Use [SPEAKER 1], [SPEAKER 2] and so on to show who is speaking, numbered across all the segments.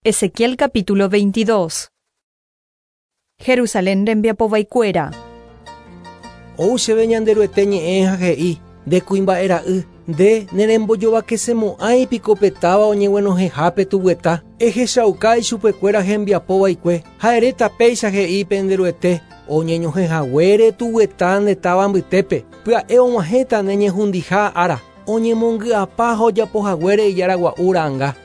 [SPEAKER 1] Ezequiel capítulo 22. Jerusalén rembiapovaikuéra.
[SPEAKER 2] Ou chéve Ñanderuete ñe'ẽ ha he'i, Nde kuimba'e ra'y, nde nerembojovakesemo'ãi piko pe táva oñeguenohẽhápe tuguyeta, ehechauka ichupekuéra hembiapo vaikue, ha eréta péicha he'i pende Ruete, Oñeñohẽ haguére tuguyeta nde táva mbytépe, pya'e og̃uahẽta ne ñehundiha ára, oñemongy'apa ha ojapo haguére ijára gua'u ra'anga.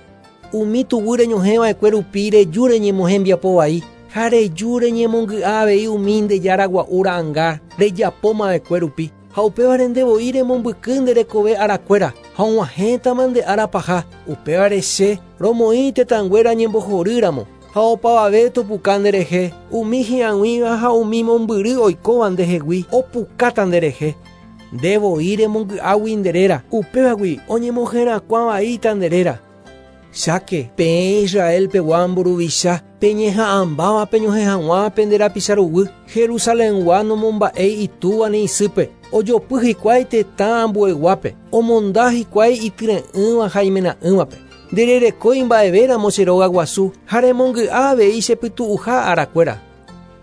[SPEAKER 2] Umi tuguy reñohẽ va'ekue rupi reju reñemohembiapo vai, ha reju reñemongy'a avei umi nde jára gua'u ra'anga rejapóma va'ekue rupi, ha upévare nde voi remombyky nde rekove arakuéra, ha og̃uahẽtama nde ára paha, upévare che romoĩ tetãnguéra ñembohory ramo, ha opavave topuka nderehe, umi hi'ag̃uíva ha umi mombyry oikóva ndehegui opukáta nderehe. Nde voi remongy'águi nde réra, upévagui oñemoherakuã vaíta nde réra. Cháke, peẽ Israel pegua mburuvicha, peñeha'ãmbáva peñohẽ hag̃ua pende rapicha ruguy, Jerusalengua nomomba'éi itúva ni isýpe, ojopy hikuái tetã ambueguápe, omonda hikuái ityre'ỹva ha imena'ỹvape. Ndererekói mba'evéramo che róga guasu ha remongy'a avei che pytu'uha arakuéra.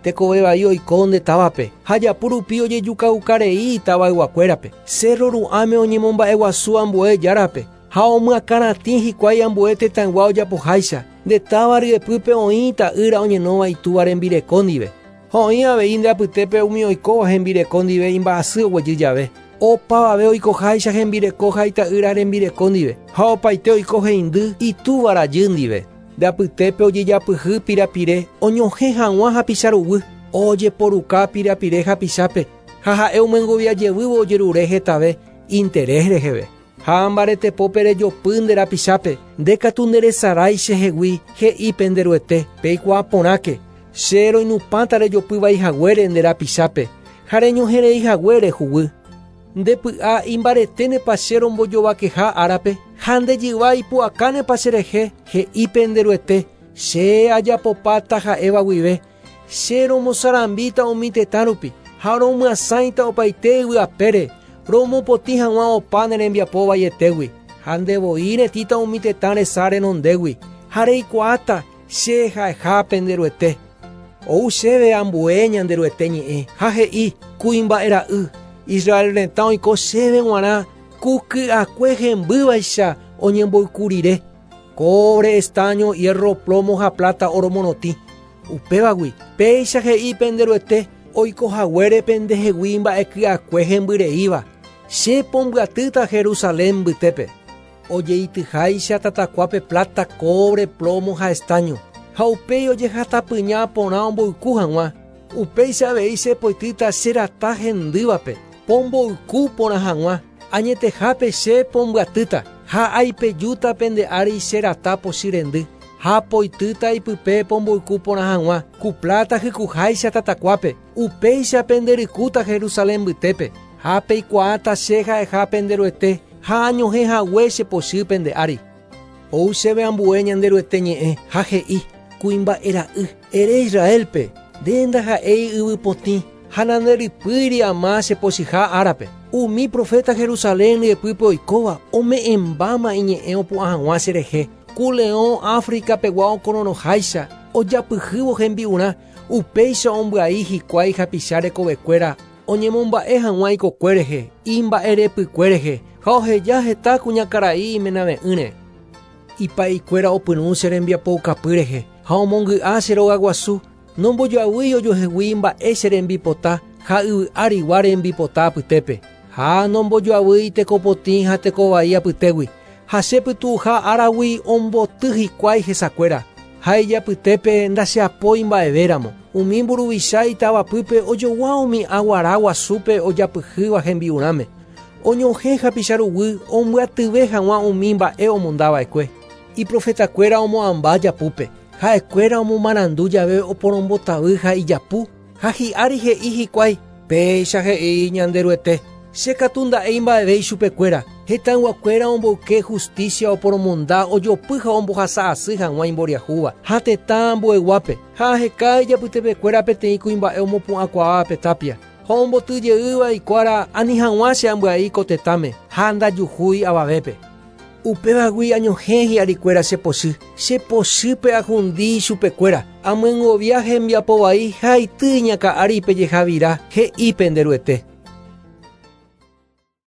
[SPEAKER 2] Tekove vai oiko nde távape, ha japu rupi ojejukauka rei itavayguakuérape. Cérro ru'ãme oñemomba'eguasu ambue járape, ha omyakãratĩ hikuái ambue tetãygua ojapoháicha. Nde táva ryepýpe oĩ ita'ýra oñenóva itúva rembireko ndive. Ha oĩ avei nde apytépe umi oikóva hembireko ndive imba'asy oguejy jave. Opavave oikoháicha hembireko ha ita'ýra rembireko ndive, ha opaite oiko heindy itúva rajy ndive. Nde apytépe ojejapyhy pirapire oñohẽ hag̃ua hapicha ruguy, ojeporuka pirapire hapichápe, ha ha'e omyengovia jevývo ojerure hetave interés reheve. Ha mbaretepópe rejopy nde rapichápe, nde katu nderesarái chehegui, he'i pende Ruete, Peikuaa porãke, che roinupãta rejopy vai haguére nde rapichápe, ha reñohẽ rei haguére huguy. Nde py'a imbareténepa che rombojovakeha árape, ha nde jyva ipu'akánepa cherehe, he'i pende Ruete, Che ajapopáta ha'éva guive, che romosarambíta umi tetã rupi, ha romyasãita opaite yvy apére, romopotĩ hag̃ua opa ne rembiapo vaietégui, ha nde voi retĩta umi tetã resa renondégui, ha reikuaáta che ha'eha pende Ruete. Ou chéve ambue Ñanderuete ñe'ẽ, ha he'i, Kuimba'e ra'y, Israel retã oiko chéve g̃uarã ku ky'akue hembývaicha oñemboyku rire, cobre, estaño, hierro, plomo ha pláta oro morotĩ. Upévagui, péicha he'i pende Ruete, oiko haguére pendehegui mba'e ky'akue hembyreíva, Che pombyatýta Jerusalén mbytépe. Ojeityháicha tatakuápe pláta, cobre, plomo ha estaño, ha upéi ojehatapyña porã omboyku hag̃ua, upéicha avei che poitýta che rata hendývape, pomboyku porã hag̃ua, añetehápe che pombyatýta, ha aipejúta pende ári che rata pochy rendy, ha poitýta ipype pomboyku porã hag̃ua, ku pláta hykuháicha tatakuápe, upéicha penderykúta Jerusalén mbytépe, ha peikuaáta che ha'eha pende Ruete, Ha añohẽ hague che pochy pende ári. Ou chéve ambue Ñanderuete ñe'ẽ, ha he'i, Kuimba'e ra'y, ere Israélpe, Nde ndaha'éi yvy potĩ, ha nanderypýiri ama che pochyha árape. Umi proféta Jerusalén ryepýpe oikóva ome'ẽmbáma iñe'ẽ opu'ã hag̃ua cherehe, ku leõ África pegua okororõháicha ojapyhývo hembi'urã, upéicha ombyai hikuái hapicha rekovekuéra Oñemomba'e hag̃ua ikokue rehe, imba'erepykue rehe, ha oheja heta kuñakarai imenave'ỹre. Ipa'ikuéra opyrũ che rembiapoukapy rehe, ha omongy'a che rogaguasu, nombojoavýi ojuehegui mba'e che rembipota ha yvy arigua rembipota apytépe, ha nombojoavýi tekopotĩ ha tekovai apytégui, ha che pytu'uha áragui omboty hikuái hesakuéra, ha ijapytépe ndacheapói mba'evéramo. Umi mburuvicha itavapýpe ojogua umi aguara guasúpe ojapyhýva hembi'urãme, oñohẽ hapicha ruguy ombyatyve hag̃ua umi mba'e omondava'ekue. Iprofetakuéra omo'ãmba japúpe, ha'ekuéra omomarandu jave oporombotavy ha ijapu, Ha hi'ári he'i hikuái, Péicha he'i Ñanderuete, Che katu nda'éi mba'eve ichupekuéra, hetãyguakuéra omboyke justícia oporomonda ojopy ha ombohasa asy hag̃ua imboriahúva ha tetã ambueguápe, ha aheka ijapytepekuéra peteĩ kuimba'e omopu'ãkuaáva pe tápia, ha omboty jeýva ikuára ani hag̃ua che ambyai ko tetãme, ha ndajuhúi avavépe. Upévagui añohẽ hi'arikuéra che pochy, che pochýpe ahundi ichupekuéra, amyengovia hembiapo vai ha aity iñakã ári pe jehavira, he'i pende Ruete.